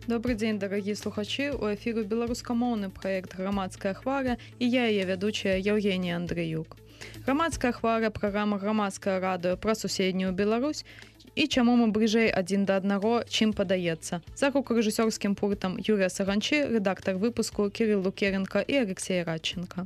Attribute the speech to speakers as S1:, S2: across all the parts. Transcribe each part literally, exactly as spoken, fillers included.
S1: Добрый дзень, дарагія слухачы. У эфіру беларускамоўны праект грамадская хваля і я яе вядучая Евгенія Андрыюк. Грамадская хваля праграма грамадскае радыё пра суседнюю Беларусь і чаму мы бліжэй адзін да аднаго, чым падаецца. За гукарэжысёрскім пультам Юрыя Саганчы, рэдактар выпуску Кірыл Лукеренко і Алексей Радченко.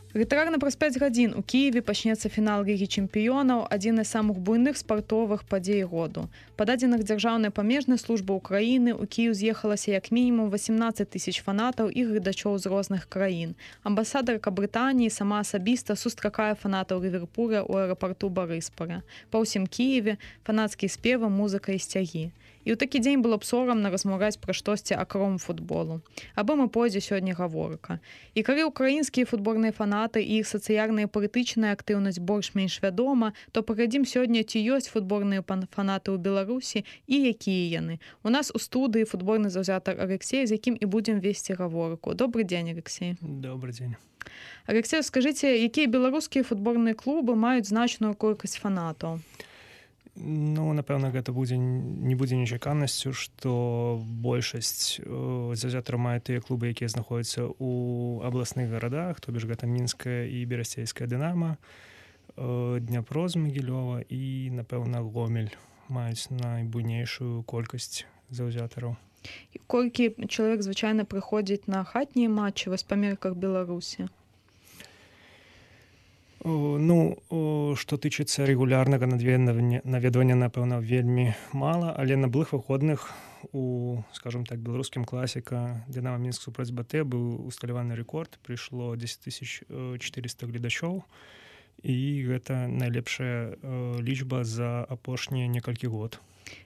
S1: Літаральна праз пяць гадзін у Кіеве пачнецца фінал Лігі чэмпіёнаў, адзін з самых буйных спартовых падзей году. Па дадзеных дзяржаўнай памежнай службы Украіны ў Кіеў з'ехалася як мінімум васемнаццаць тысяч фанатаў і гледачоў з розных краін. Амбасадарка Брытаніі сама асабіста сустракае фанатаў Ліверпуля ў аэрапарту Барыспаля. Па ўсім Кіеве фанацкія спевы, музыка і сцягі. І ў такі дзень было б сорамна размаўляць пра штосьці акром футболу. Або мы пойдзе сёння гаворка. І калі ўкраінскія футбольныя фанаты і іх сацыяльная і палітычная актыўнасць больш-менш вядома, то паглядзім сёння, ці ёсць футбольныя фанаты ў Беларусі і якія яны. У нас у студыі футбольны заўзятар Алексей, з якім і будзем весці гаворку. Добрый дзень, Алексей.
S2: Добрый дзень.
S1: Алексей, скажыце, якія беларускія футбольныя клубы маюць значную колькасць фанатаў?
S2: Ну, напэўна, гэта будзе не будзе нечаканасцю, што большасць заўзятараў мае тыя клубы, якія знаходзяцца ў абласных гарадах, то бишь гэта мінская і берасцейская Дынама, Дняпро з Магілёва і, напэўна, Гомель маюць найбуйнейшую колькасць заўзятараў.
S1: І колькі чалавек звычайна прыходзіць на хатнія матчы вось па мерках Беларусі?
S2: Ну, што тычыцца рэгулярнага наведвання, напэўна, вельмі мала, але на былых выходных у, скажем так, беларускім класіка Дынама Мінск супраць БТ быў усталяваны рэкорд, прыйшло дзесяць тысяч чатырыста гледачоў, і гэта найлепшая лічба за апошнія некалькі год.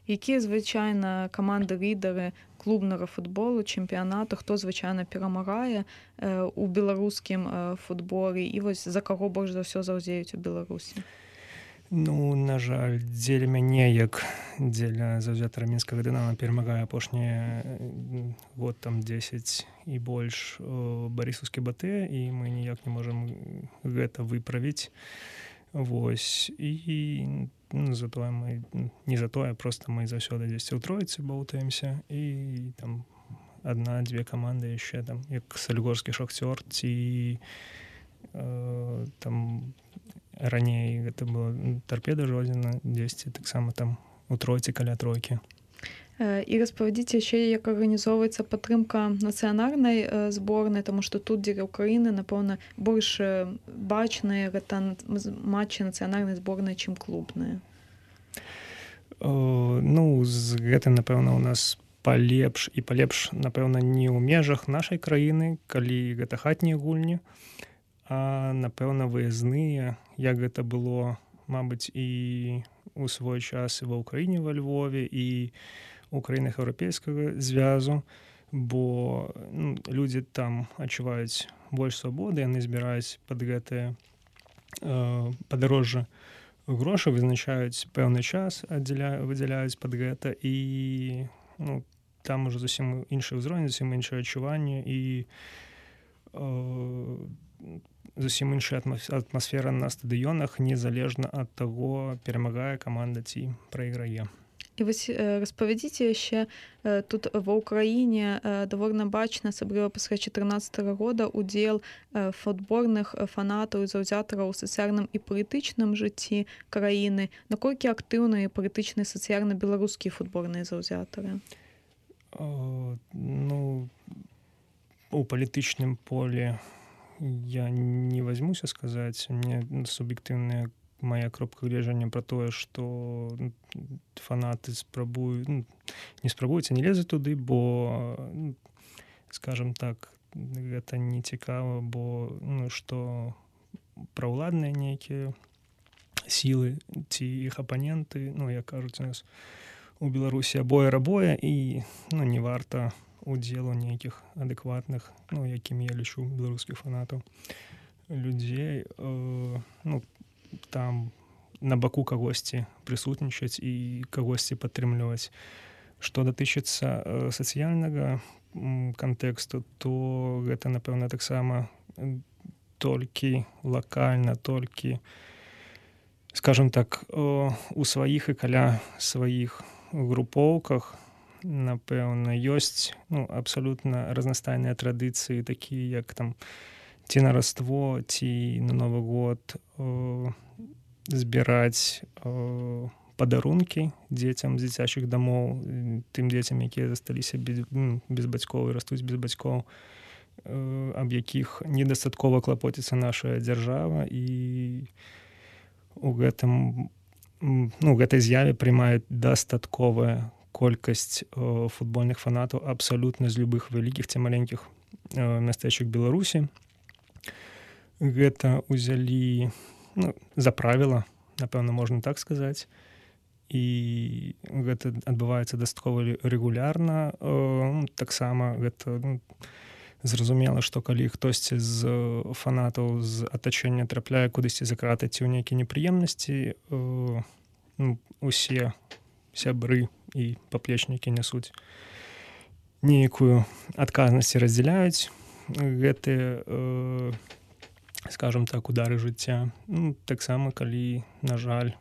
S1: Якія звычайна каманды-лідары клубнага футболу, чэмпіянату, хто звычайна перамагае у беларускім футболе і вось за каго больш за ўсё заўзеюць у Беларусі?
S2: Ну, на жаль, дзеля мяне, як дзеля заўзятара мінскага Дынама, перамагае апошні год там дзесяць і больш барысаўскі БТ, і мы ніяк не можам гэта выправіць. Вось, і ну, затое мы, не затое, просто мы заўсёды дзесьці ў тройцы баўтаемся, і там адна-дзве каманды яшчэ, там, як Салігорскі Шахцёр, ці э, там раней гэта было Тарпеда Жодзіна, дзесьці таксама там у тройцы каля тройкі.
S1: І распавядзіце яшчэ, як арганізоўваецца падтрымка нацыянальнай зборнай, таму што тут дзеля Украіны, напэўна, больш бачныя гэта матчы нацыянальнай зборнай, чым клубныя.
S2: Ну, з гэтым, напэўна, у нас палепш і палепш, напэўна, не ў межах нашай краіны, калі гэта хатнія гульні, а, напэўна, выязныя, як гэта было, мабыць, і у свой час і ва ўкраіне, ва Львове, і у краінах еўрапейскага звязу, бо ну, людзі там адчуваюць больш свабоды, яны збіраюць пад гэтае э, падарожжа грошы, вызначаюць пэўны час, аддзяля, выдзяляюць пад гэта, і ну, там ужо зусім іншы ўзровень, зусім іншае адчуванне і э, зусім іншая атмасфера на стадыёнах, незалежна ад таго, перамагае каманда ці прайграе.
S1: І вось распавядзіце яшчэ, тут ва ўкраіне даволі бачна, асабліва пасля чатырнаццатага года, удзел футбольных фанатаў і заўзятараў у сацыяльным і палітычным жыцці краіны. Наколькі актыўныя палітычныя сацыяльна беларускія футбольныя заўзятары?
S2: Ну, у палітычным поле я не возьмуся сказаць, мне суб'ектыўныя моя кропка гледжання пра тое, што фанаты спрабуюць, ну, не спрабуюць, а не лезуць туды, бо, скажем так, гэта не цікава, бо ну, што праўладныя нейкія сілы ці іх апаненты, ну, як кажуць у нас у Беларусі, абое-рабое, і ну, не варта удзелу нейкіх адэкватных, ну, якімі я лічу беларускіх фанатаў, людзей, э, ну, там на баку кагосьці прысутнічаць і кагосьці падтрымліваць. Што датычыцца э, сацыяльнага м, кантэксту, то гэта, напэўна, таксама толькі лакальна, толькі, скажем так, э, у сваіх і каля сваіх групоўках, напэўна, ёсць, ну, абсалютна разнастайныя традыцыі, такія як там ці на Раство, ці на Новы год э, збіраць э, падарункі дзецям з дзіцячых дамоў, тым дзецям, якія засталіся без, ну, без бацькоў і растуць без бацькоў, э, аб якіх недастаткова клапоціцца наша дзяржава, і у гэтым, ну, гэтай з'яве прымае дастатковая колькасць э, футбольных фанатаў абсалютна з любых вялікіх ці маленькіх э, мястэчак Беларусі. Гэта ўзялі, ну, за правіла, напэўна, можна так сказаць. І гэта адбываецца дастаткова рэгулярна. Э, таксама гэта, ну, зразумела, што калі хтосьці з фанатаў з атачэння трапляе кудысьці за краты ці ў нейкія непрыемнасці, э, ну, усе сябры і паплечнікі нясуць нейкую адказнасць і раздзяляюць гэтыя, э, скажем так, удары жыцця. Ну, таксама, калі, на жаль,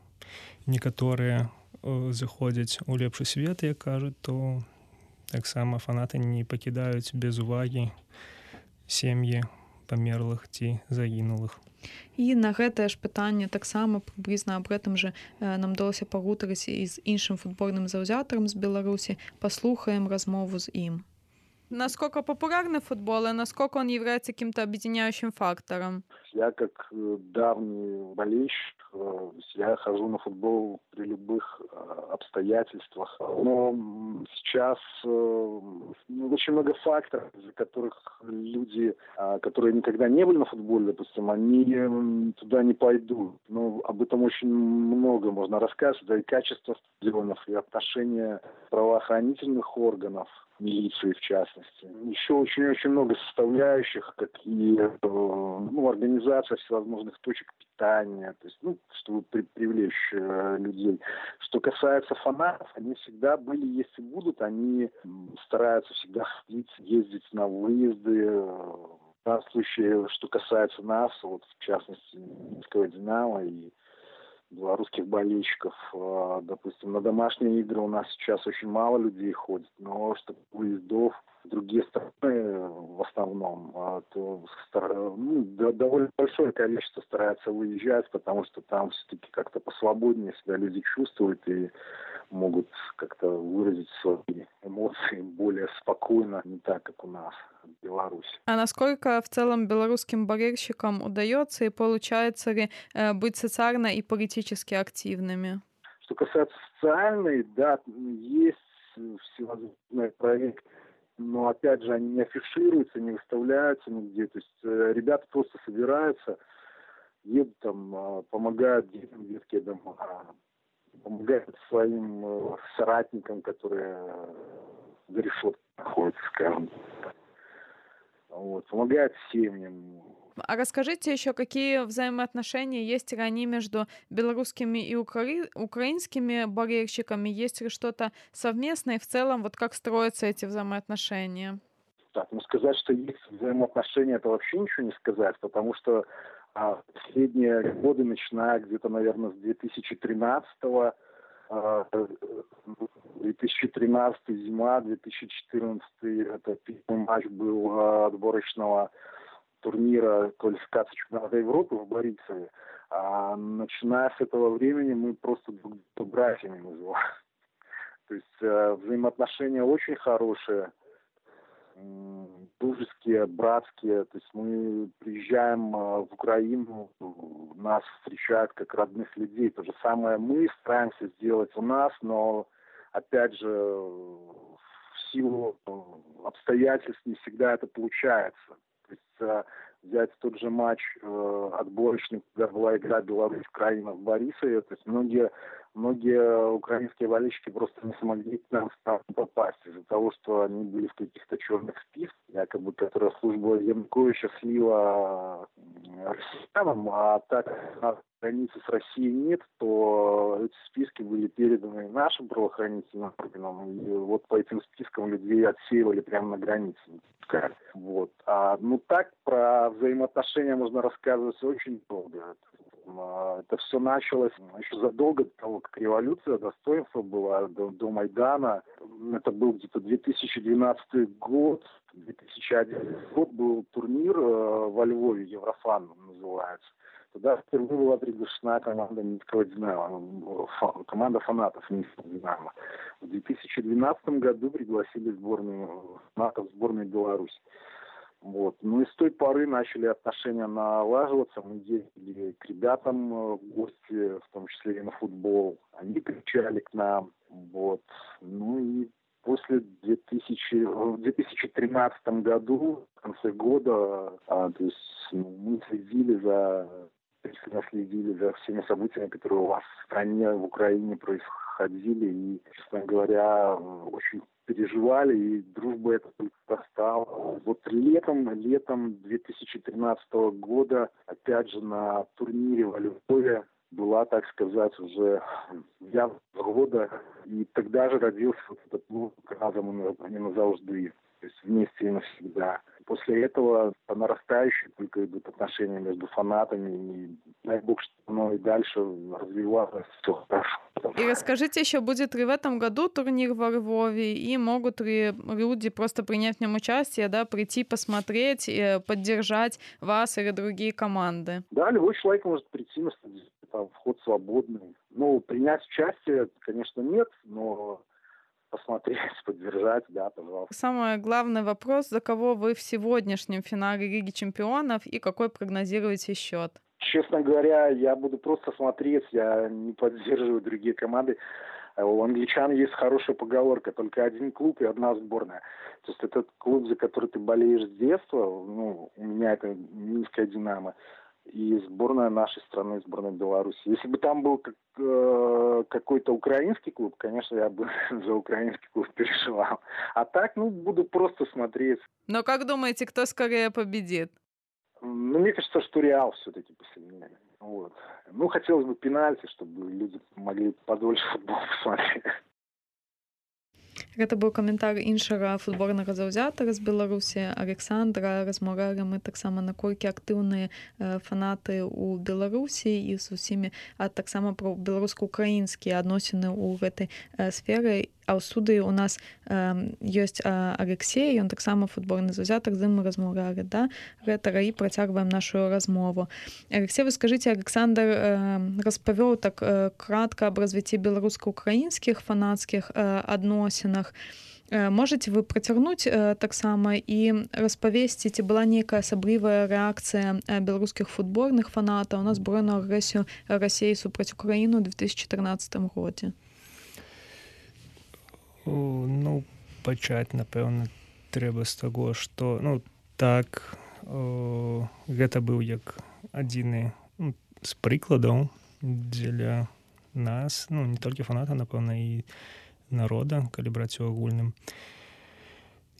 S2: некаторыя э, заходзяць у лепшы свет, як кажуць, то таксама фанаты не пакідаюць без увагі сем'і памерлых ці загінулых.
S1: І на гэтае ж пытанне таксама прыблізна аб гэтым жа э, нам удалося пагутарыць і з іншым футбольным заўзятарам з Беларусі. Паслухаем размову з ім. Насколько популярный футбол и насколько он является каким-то объединяющим фактором?
S3: Я как давний болельщик, я хожу на футбол при любых обстоятельствах. Но сейчас ну, очень много факторов, из-за которых люди, которые никогда не были на футболе, допустим, они туда не пойдут. Но об этом очень много можно рассказывать. Да и качество стадионов, и отношение правоохранительных органов, милиции в частности. Еще очень-очень много составляющих, какие ну, организация всевозможных точек питания, то есть, ну, чтобы при, привлечь э, людей. Что касается фанатов, они всегда были, есть и будут, они стараются всегда ходить, ездить на выезды. В данном случае, что касается нас, вот в частности, Минского «Динамо» и белорусских болельщиков, допустим, на домашние игры у нас сейчас очень мало людей ходит, но что выездов в другие страны в основном, то ну, довольно большое количество стараются выезжать, потому что там все-таки как-то посвободнее себя люди чувствуют и могут как-то выразить свои эмоции более спокойно, не так, как у нас в Беларуси.
S1: А насколько в целом белорусским болельщикам удается и получается ли э, быть социально и политически активными?
S3: Что касается социальной, да, есть всевозможные проекты, но опять же они не афишируются, не выставляются нигде. То есть э, ребята просто собираются, едут там, э, помогают детям, детские дома, помогают своим э, соратникам, которые за решеткой находятся, скажем так. Вот, помогают семьям.
S1: А расскажите еще, какие взаимоотношения есть ли они между белорусскими и укра... украинскими болельщиками? Есть ли что-то совместное? И в целом, вот как строятся эти взаимоотношения?
S3: Так, ну сказать, что есть взаимоотношения, это вообще ничего не сказать, потому что а, последние годы, начиная где-то, наверное, с две тысячи тринадцатого, а, две тысячи тринадцатый зима, две тысячи четырнадцатый это первый матч был а, отборочного турнира квалификации чемпионата Европы в Борисове. А начиная с этого времени мы просто друг друга братьями называем. То есть э, взаимоотношения очень хорошие, э, дружеские, братские. То есть мы приезжаем э, в Украину, нас встречают как родных людей. То же самое мы стараемся сделать у нас, но опять же в силу обстоятельств не всегда это получается. То есть взять тот же матч э, отборочный, когда была игра Беларусь-Украина в Борисове, то есть многие, многие украинские болельщики просто не смогли к нам попасть из-за того, что они были в каких-то черных списках, якобы, которые служба Януковича слила россиянам, а так на границе с Россией нет, то эти списки были переданы нашим правоохранительным органам, и вот по этим спискам людей отсеивали прямо на границе. Вот. А, ну так, про взаимоотношения можно рассказывать очень долго. Это все началось еще задолго до того, как революция достоинства была, до, до Майдана. Это был где-то две тысячи двенадцатый год, две тысячи одиннадцатый год был турнир во Львове, Еврофан называется. Туда впервые была приглашена команда Минского «Динамо», команда фанатов Минского «Динамо». В две тысячи двенадцатом году пригласили сборную фанатов сборной Беларуси. Вот. Ну и с той поры начали отношения налаживаться. Мы ездили к ребятам в гости, в том числе и на футбол. Они приезжали к нам. Вот. Ну и после две тысячи, в две тысячи тринадцатом году, в конце года, а, то есть ну, мы следили за, пристально следили за всеми событиями, которые у вас в стране, в Украине происходили. И, честно говоря, очень переживали, и дружба эта только растала. Вот летом, летом две тысячи тринадцатого года, опять же, на турнире во Львове была, так сказать, уже явная года, и тогда же родился вот этот клуб «Разом и назавжди», то есть вместе и навсегда. После этого по нарастающей только идут отношения между фанатами, и дай бог, что оно и дальше развивалось, все хорошо.
S1: И расскажите еще, будет ли в этом году турнир во Львове, и могут ли люди просто принять в нем участие, да, прийти посмотреть, поддержать вас или другие команды?
S3: Да, любой человек может прийти на стадион, там вход свободный. Ну, принять участие, конечно, нет, но посмотреть, поддержать, да, пожалуйста.
S1: Самый главный вопрос, за кого вы в сегодняшнем финале Лиги чемпионов и какой прогнозируете счет?
S3: Честно говоря, я буду просто смотреть, я не поддерживаю другие команды. У англичан есть хорошая поговорка: только один клуб и одна сборная. То есть этот клуб, за который ты болеешь с детства, ну, у меня это Минская «Динамо», и сборная нашей страны, сборная Беларуси. Если бы там был как, э, какой-то украинский клуб, конечно, я бы за украинский клуб переживал. А так, ну, буду просто смотреть.
S1: Но как думаете, кто скорее победит?
S3: Ну, мне кажется, что Реал все-таки посильнее. Вот. Ну, хотелось бы пенальти, чтобы люди могли подольше футбол посмотреть.
S1: Гэта быў каментар іншага футбольнага заўзятара з Беларусі Александра. Размаўлялі мы таксама, наколькі актыўныя фанаты ў Беларусі і з усімі, а таксама пра беларуска-украінскія адносіны ў гэтай сферы. А ў студыі у нас э, ёсць э, Алексей, ён таксама футбольны заўзятар, з ім мы размаўлялі, да, гэтага, і працягваем нашу размову. Алексей, вы скажыце, Александр э, распавёў так э, кратка аб развіцці беларуска-украінскіх фанацкіх э, адносінах. Э, можаце вы працягнуць э, таксама і распавесці, ці была нейкая асаблівая рэакцыя э, беларускіх футбольных фанатаў на збройную агрэсію Расіі супраць Украіны ў две тысячи тринадцатым годзе?
S2: Ну, пачаць, напэўна, трэба з таго, што, ну, так, о, гэта быў як адзіны ну, з прыкладаў дзеля нас, ну, не толькі фаната, напэўна, і народа, калі браць у агульным,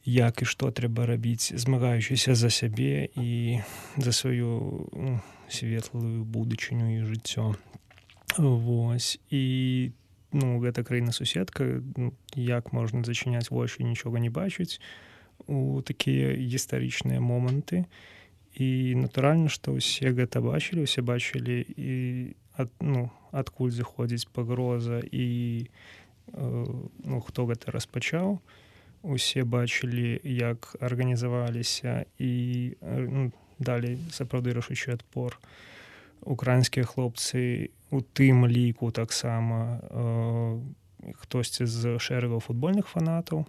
S2: як і што трэба рабіць, змагаючыся за сябе і за сваю ну, светлую будучыню і жыццё. Вось, і ну, гэта краіна-суседка, ну, як можна зачыняць вочы, нічога не бачыць у такія гістарычныя моманты. І натуральна, што ўсе гэта бачылі, усе бачылі і ад, ну, адкуль заходзіць пагроза і э, ну, хто гэта распачаў. Усе бачылі, як арганізаваліся і ну, далі сапраўды рашучы адпор. Украінскія хлопцы у тым ліку таксама э, хтосьці з шэрагаў футбольных фанатаў.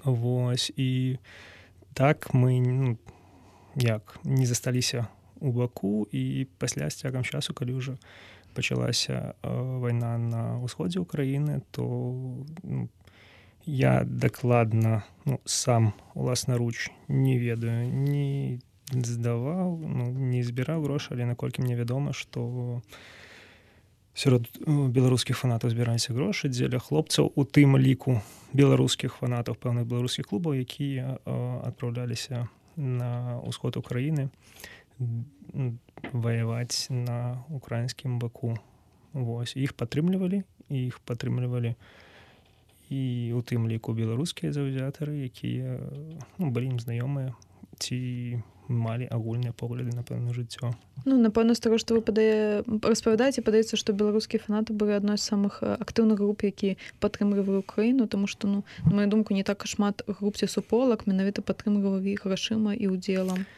S2: Вось, і так мы ну, як не засталіся у баку, і пасля з цягам часу, калі ўжо пачалася э, вайна на ўсходзе ўкраіны, то ну, я дакладна ну, сам уласнаруч не ведаю, ні здаваў, ну, не збіраў грошы, але наколькі мне вядома, што сярод беларускіх фанатаў збіраліся грошы дзеля хлопцаў, у тым ліку беларускіх фанатаў пэўных беларускіх клубаў, якія адпраўляліся на ўсход Украіны ваяваць на украінскім баку. Вось, іх падтрымлівалі, іх падтрымлівалі і у тым ліку беларускія заўзятары, якія ну, былі ім знаёмыя, ці малі агульныя погляды на пэўнае жыццё.
S1: Ну, напэўна, з таго, што вы падае... распавядаеце, падаецца, што беларускія фанаты былі адной з самых актыўных груп, які падтрымлівалі Украіну, тому што, ну, на маю думку, не так шмат груп ці суполак менавіта падтрымлівалі іх грашыма і удзелам.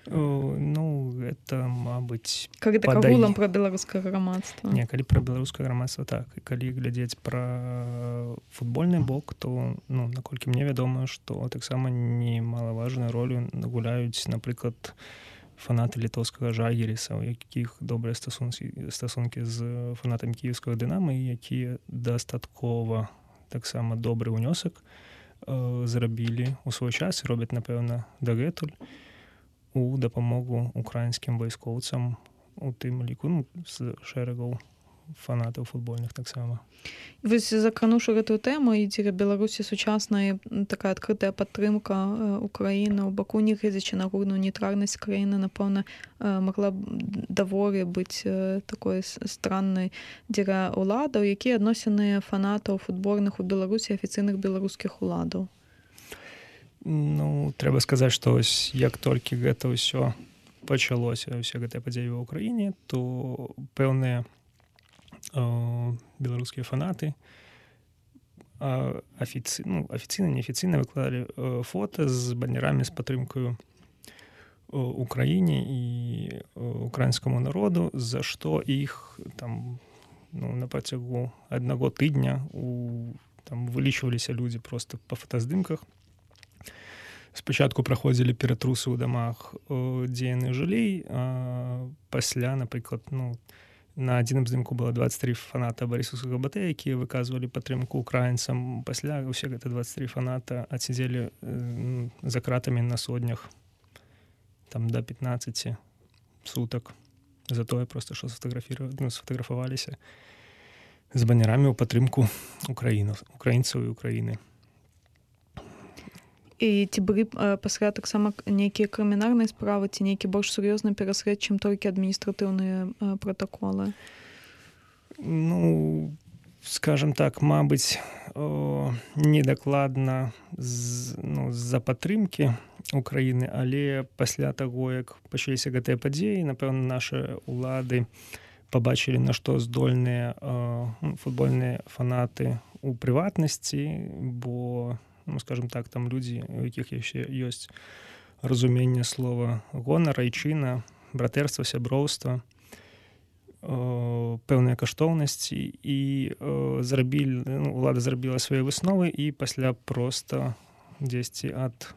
S2: Ну, гэта, мабыць,
S1: калі так
S2: падае...
S1: агулам пра беларускае грамадства.
S2: Не, калі пра беларускае грамадства, так. І калі глядзець пра футбольны бок, то, ну, наколькі мне вядома, што таксама немалаважную ролю гуляюць, напрыклад, фанаты літоўскага Жальгіриса, у якіх добрыя стасункі, стасункі з фанатамі кіеўскага Дынама, і якія дастаткова таксама добры ўнёсак э, зрабілі ў свой час і робяць, напэўна, дагэтуль у дапамогу украінскім вайскоўцам, у тым ліку, ну, з шэрагаў фанатаў футбольных таксама.
S1: Вось закрануўшы гэтую тэму, і дзеля Беларусі сучаснай такая адкрытая падтрымка Украіны ў баку, не гледзячы на агульную нейтральнасць краіны, напэўна, магла б даволі быць такой страннай дзеля ўладаў, якія адносіны фанатаў футбольных у Беларусі, афіцыйных беларускіх уладаў.
S2: Ну, трэба сказаць, што ось як толькі гэта ўсё пачалося, ўсе гэтыя падзеі ва ўкраіне, то пэўныя э, беларускія фанаты э, афіцы... ну, афіцыйна, неафіцыйна выкладалі э, фота з банерамі з падтрымкаю Украіне і украінскаму народу, за што іх там, ну, на працягу аднаго тыдня у, там вылічваліся людзі проста па фотаздымках. Спачатку праходзілі ператрусы ў дамах, дзе яны жылі, а пасля, напрыклад, ну, на адзіным здымку было дваццаць тры фаната барысаўскага БТ, якія выказвалі падтрымку украінцам. Пасля ўсе гэта дваццаць тры фаната адсядзелі э, за кратамі на сотнях, там да пятнаццаці сутак. За тое проста, што ну, сфотаграфаваліся з банерамі ў падтрымку украінцаў і Украіны.
S1: І ці былі пасля таксама нейкія крымінальныя справы, ці нейкі больш сур'ёзны пераслед, чым толькі адміністратыўныя пратаколы?
S2: Ну, скажем так, мабыць, недакладна з, ну, з-за падтрымкі Украіны, але пасля таго, як пачаліся гэтыя падзеі, напэўна, нашы ўлады пабачылі, на што здольныя э, футбольныя фанаты ў прыватнасці, бо, ну, скажем так, там людзі, у якіх яшчэ ёсць разуменне слова гонар, айчына, братэрства, сяброўства, э, пэўныя каштоўнасці, і э, зрабілі, ну, ўлада зрабіла свае высновы, і пасля проста дзесьці ад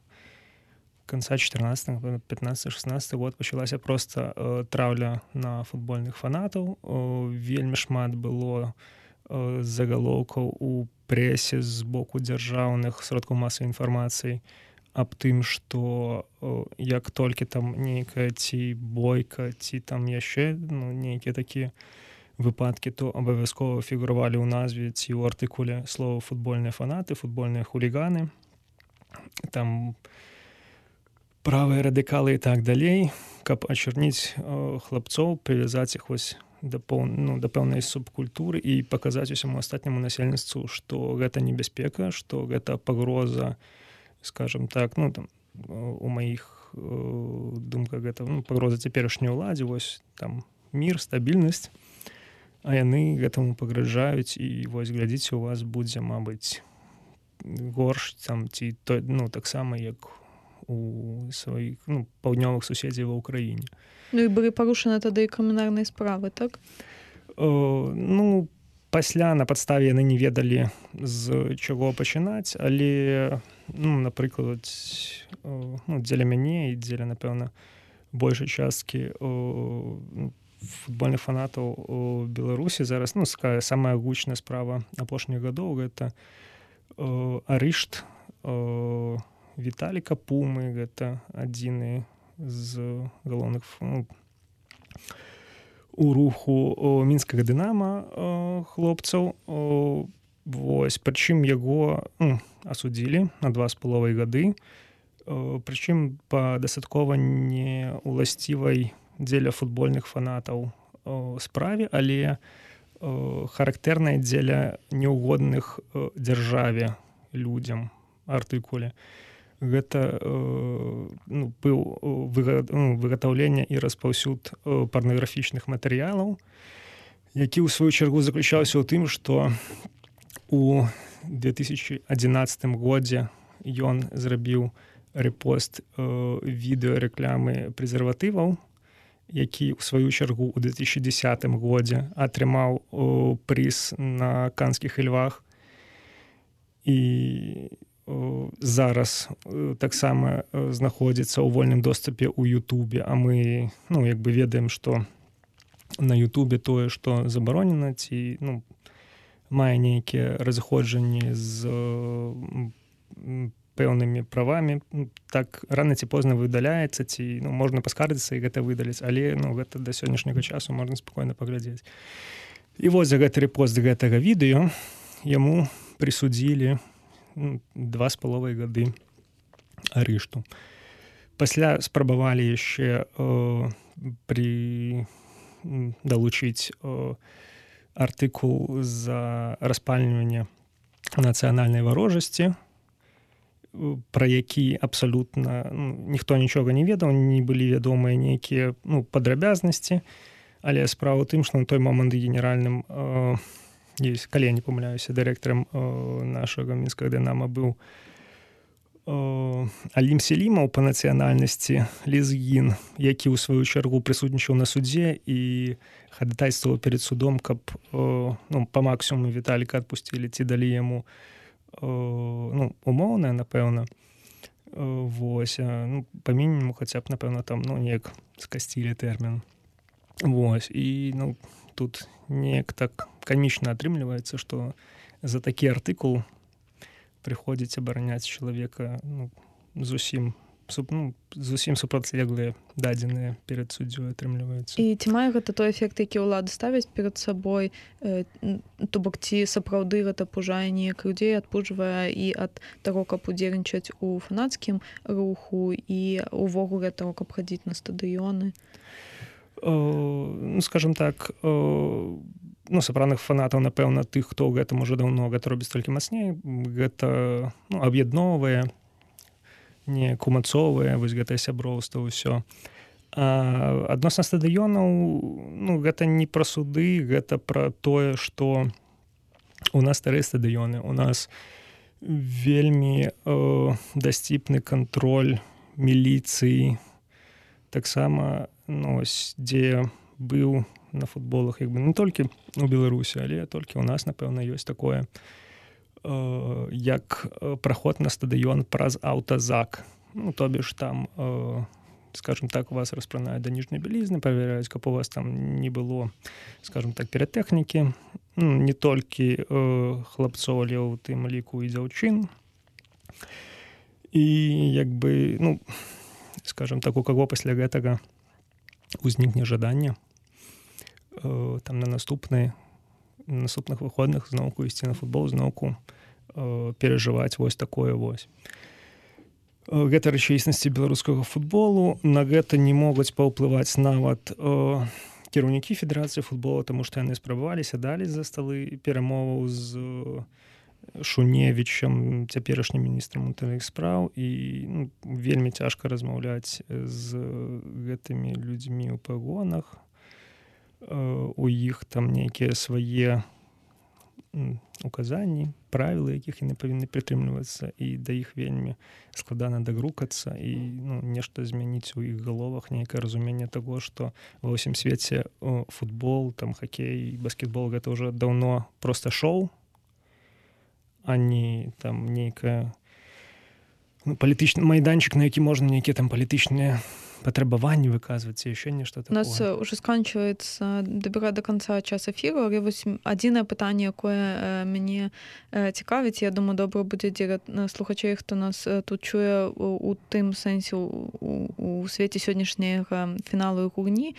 S2: конца чатырнаццатага, пятнаццаты-шаснаццаты год пачалася проста э, траўля на футбольных фанатаў. Э, вельмі шмат было э, загалоўкаў у прэсе з боку дзяржаўных сродкаў масавай інфармацыі аб тым, што э, як толькі там нейкая ці бойка, ці там яшчэ, ну, нейкія такія выпадкі, то абавязкова фігуравалі ў назве ці ў артыкуле слова футбольныя фанаты, футбольныя хуліганы, там правыя радыкалы і так далей, каб ачарніць э, хлапцоў, прывязаць іх вось да, поў... ну, да пэўнай субкультуры і паказаць усяму астатняму насельніцтву, што гэта небяспека, што гэта пагроза, скажем так, ну, там, у маіх э, думках гэта, ну, пагроза цяперашняй уладзе, вось там мір, стабільнасць, а яны гэтаму пагражаюць, і вось глядзіце, у вас будзе, мабыць, горш там, ці то, ну, таксама як у сваіх, ну, паўднёвых суседзяў ва ўкраіне.
S1: Ну і былі парушаны тады і крымінальныя справы, так?
S2: О, ну, пасля на падставе яны не ведалі, з чаго пачынаць, але, ну, напрыклад, о, ну, дзеля мяне і дзеля, напэўна, большай часткі о, футбольных фанатаў у Беларусі зараз, ну, самая гучная справа апошніх гадоў, гэта о, арышт о, Віталіка Пумы, гэта адзіны з галоўных, ну, у руху о, мінскага Дынама о, хлопцаў. О, вось, прычым яго ну, асудзілі на два з паловай гады, о, прычым па дастаткова неуласцівай дзеля футбольных фанатаў о, справе, але о, характэрнай дзеля неугодных о, дзяржаве людзям артыкуле. гэта ну, быў выгатаўленне і распаўсюд парнаграфічных матэрыялаў, які ў сваю чаргу заключаўся ў тым, што у две тысячи адзінаццатым годзе ён зрабіў рэпост відэарэкламы прэзерватываў, які ў сваю чаргу ў две тысячи дзесятым годзе атрымаў прыз на канскіх львах. І зараз таксама знаходзіцца ў вольным доступе ў Ютубе, а мы ну, як бы ведаем, што на Ютубе тое, што забаронена, ці ну, мае нейкія разыходжанні з пэўнымі правамі, так рана ці позна выдаляецца, ці ну, можна паскардзіцца і гэта выдаліць, але ну, гэта да сённяшняга часу можна спакойна паглядзець. І вось за гэты рэпост гэтага відэо яму прысудзілі ну, два з паловай гады арышту. Пасля спрабавалі яшчэ э, пры далучыць э, артыкул за распальванне нацыянальнай варожасці, пра які абсалютна ну, ніхто нічога не ведаў, не былі вядомыя нейкія ну, падрабязнасці, але справа ў тым, што на той момант генеральным э, есть, калі я не памыляюся, дырэктарам э, нашага мінскага дынама быў Алім Селімаў па нацыянальнасці лезгін, які ў сваю чаргу прысутнічаў на судзе і хадатайстваваў перад судом, каб ну, па максімуму Віталіка адпусцілі ці далі яму ну, умоўнае, напэўна. Вось, ну, па мінімуму хаця б, напэўна, там ну, неяк скасцілі тэрмін. Вось, і ну, тут неяк так камічна атрымліваецца, што за такі артыкул прыходзіць абараняць чалавека ну, зусім, суп, ну, зусім супрацьлеглыя дадзеныя перад суддзёй атрымліваюцца.
S1: І ці мае гэта той эфект, які ўлады ставяць перад сабой, э, то бок ці сапраўды гэта пужае неяк людзей, адпужвае і ад таго, каб удзельнічаць у фанацкім руху і увогуле таго, каб хадзіць на стадыёны?
S2: Э, ну, скажем так, э, ну, сапраўдных фанатаў, напэўна, тых, хто ў гэтым ужо даўно гэта робіць толькі мацней, гэта ну, аб'ядноўвае, не кумацовае, вось гэтае сяброўства, ўсё. А адносна стадыёнаў, ну, гэта не пра суды, гэта пра тое, што у нас старыя стадыёны, у нас вельмі э, дасціпны кантроль міліцыі, таксама, ну, ось, дзе быў на футболах, як бы не толькі у Беларусі, але толькі ў нас, напэўна, ёсць такое, э, як праход на стадыён праз аўтазак. Ну, то бишь там, э, скажем так, вас распранаюць да ніжняй бялізны, праверяюць, каб у вас там не было, скажем так, піратэхнікі. Ну, не толькі э, хлапцоў, але ў тым ліку і дзяўчын. І як бы, ну, скажем так, у каго пасля гэтага узнікне жаданне там на наступныя на наступных выходных зноўку ісці на футбол, зноўку э, перажываць вось такое вось. Гэта рэчаіснасці беларускага футболу. На гэта не могуць паўплываць нават э, кіраўнікі федэрацыі футбола, таму што яны спрабавалі, сядалі за сталы перамоваў з Шуневічам, цяперашнім міністрам унутраных спраў, і ну, вельмі цяжка размаўляць з гэтымі людзьмі ў пагонах. У іх там нейкія свае указанні, правілы, якіх яны павінны прытрымлівацца, і да іх вельмі складана дагрукацца і ну, нешта змяніць у іх галовах, нейкае разуменне таго, што ва ўсім свеце футбол, там хакей, баскетбол гэта ўжо даўно проста шоу, а не там нейкая ну, палітычны майданчык, на які можна нейкія там палітычныя патрабаванні выказваць, яшчэ нешта такое.
S1: У нас уже сканчваецца дабіраць да канца час эфіру, але вось адзінае пытанне, якое мяне цікавіць, я думаю, добра будзе дзеля слухачэй, хто нас тут чуе у тым сэнсе у, у свеце сённяшняга фіналу і гульні,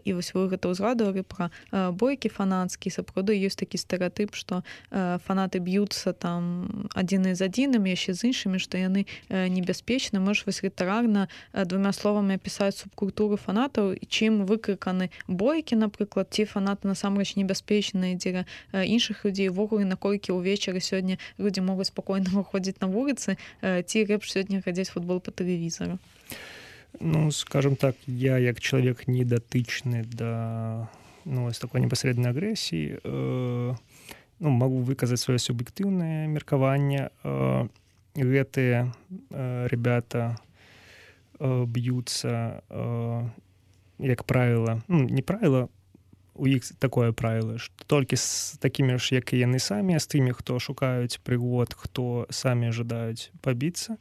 S1: і вось вы гэта ўзгадывалі пра бойкі фанацкі, сапраўды ёсць такі стэрэатып, што фанаты б'юцца там адзіны з адзіным, яшчэ з іншымі, што яны небяспечны. Можаш вось літаральна двума словамі самі апісаць субкультуры фанатаў і чым выкрыканы бойкі, напрыклад, ці фанаты насамрэч небяспечныя дзеля іншых людзей, увогуле наколькі ўвечары сёння людзі могуць спакойна выходзіць на вуліцы, ці лепш сёння глядзець футбол па тэлевізару?
S2: Ну, скажем так, я як чалавек не датычны да ну, з такой непасрэднай агрэсіі, э, ну, магу выказаць сваё суб'ектыўнае меркаванне. Э, гэтыя э, ребята э, б'юцца, э, як правіла, ну, не правіла, у іх такое правіла, што толькі з такімі ж, як і яны самі, з тымі, хто шукаюць прыгод, хто самі жадаюць пабіцца,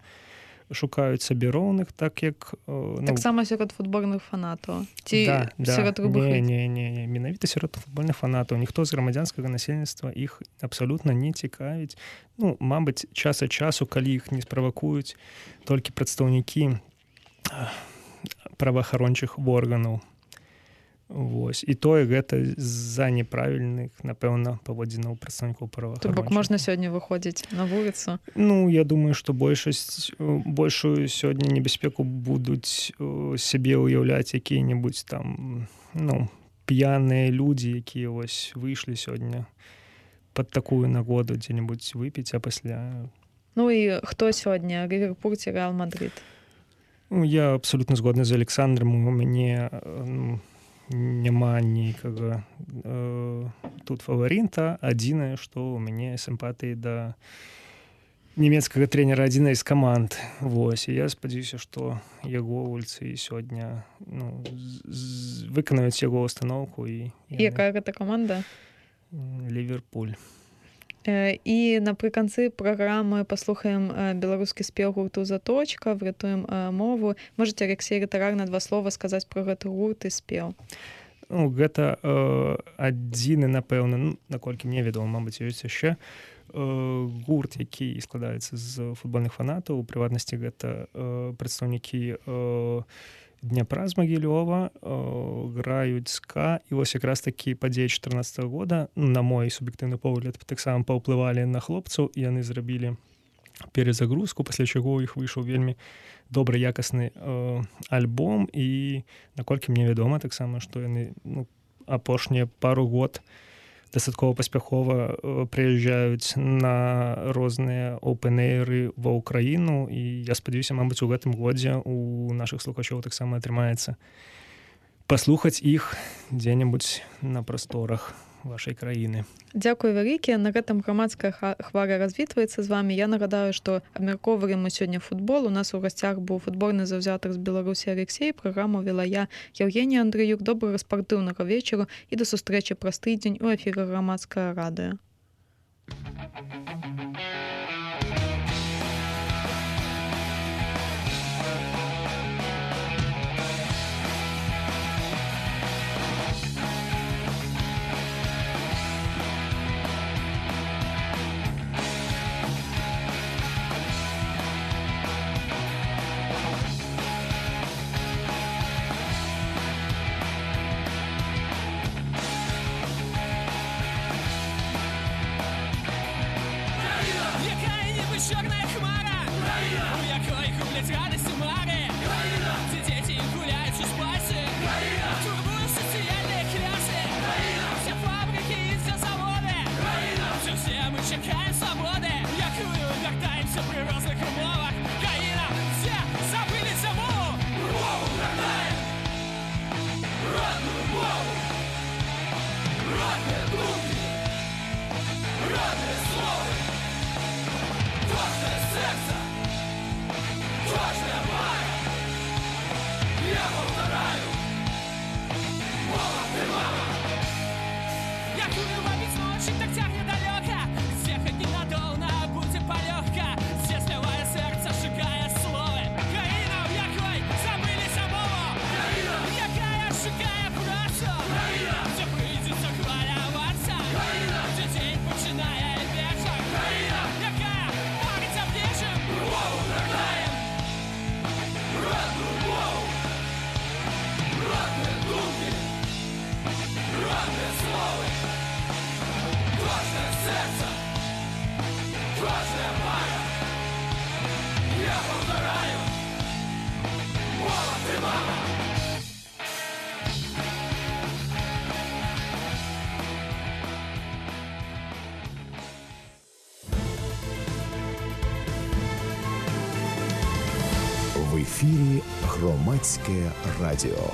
S2: шукаюць сабе роўных, так як... Ну,
S1: таксама сярод футбольных фанатаў? Ці
S2: да,
S1: сярод
S2: да.
S1: любых?
S2: Не, не, не, не. Менавіта сярод футбольных фанатаў. Ніхто з грамадзянскага насельніцтва іх абсалютна не цікавіць. Ну, мабыць, час ад часу, калі іх не справакуюць толькі прадстаўнікі праваахарончых органаў. Вось. І тое гэта з-за неправільных, напэўна, паводзінаў прадстаўнікоў праваахарончых.
S1: То бок можна сёння выходзіць на вуліцу?
S2: Ну, я думаю, што большасць, большую сёння небяспеку будуць сябе ўяўляць якія-небудзь там, ну, п'яныя людзі, якія вось выйшлі сёння пад такую нагоду дзе-небудзь выпіць, а пасля...
S1: Ну і хто сёння? Ліверпуль ці Рэал Мадрид?
S2: Ну, я абсалютна згодны з Александром. У мяне... Ну, няма нікага э, тут фаварыта. Адзінае, што ў мяне сімпатыі да нямецкага трэнера адзінай з каманд. Вось. І я спадзяюся, што яго гульцы сёння ну, з- выканаюць яго устаноўку. І,
S1: І якая гэта каманда?
S2: Ліверпуль.
S1: І напрыканцы праграмы паслухаем беларускі спеў гурту «Заточка», врятуем мову. Можаце, Алексей, літарарна два слова сказаць пра гэты гурт і спеў?
S2: Ну, гэта э, адзіны, напэўна, ну, наколькі мне вядома, мабыць, ёсць яшчэ э, гурт, які складаецца з футбольных фанатаў. У прыватнасці гэта э, прадстаўнікі э, Дняпра з Магілёва, э, граюць ска, і вось якраз такі падзеі чатырнаццатага года, на мой суб'ектыўны погляд, таксама паўплывалі на хлопцаў, і яны зрабілі перезагрузку, пасля чаго ў іх выйшаў вельмі добры якасны э, альбом, і наколькі мне вядома таксама, што яны ну, апошнія пару год дастаткова паспяхова прыязджаюць на розныя оўпэн-эйры ва ўкраіну, і я спадзяюся, мабыць, у гэтым годзе у нашых слухачоў таксама атрымаецца паслухаць іх дзе-небудзь на прасторах вашай краіны.
S1: Дзякуй вялікі. На гэтым грамадская хваля развітваецца з вамі. Я нагадаю, што абмяркоўваем мы сёння футбол. У нас у гасцях быў футбольны заўзятар з Беларусі Алексей. Праграму вела я, Яўгенія Андрыюк. Добрага спартыўнага вечару і да сустрэчы праз тыдзень у эфіры Грамадскае радыё.
S4: Чорная хмара, у якої гублять радості мари, ці діти гуляють у спасі, турбують соціальні кляси, всі фабрики і всі заводи, вже всі ми чекаємо свободи, якою вертаємося при різних умовах, країна, всі забилися мову, мову вертаємо, родну мову, родні думки, родне слово. Кожне серце, кожне має, я повторяю, мова ти мама. Як урва від ночі, так тягне далеко, всіх одні надовна буде полегка, все сливає серце, шукає слови. Країна, в якої забилися мову, країна, яка шукає працю, країна, все прийдеться хвалюватися.
S5: ефірі Громадське радіо.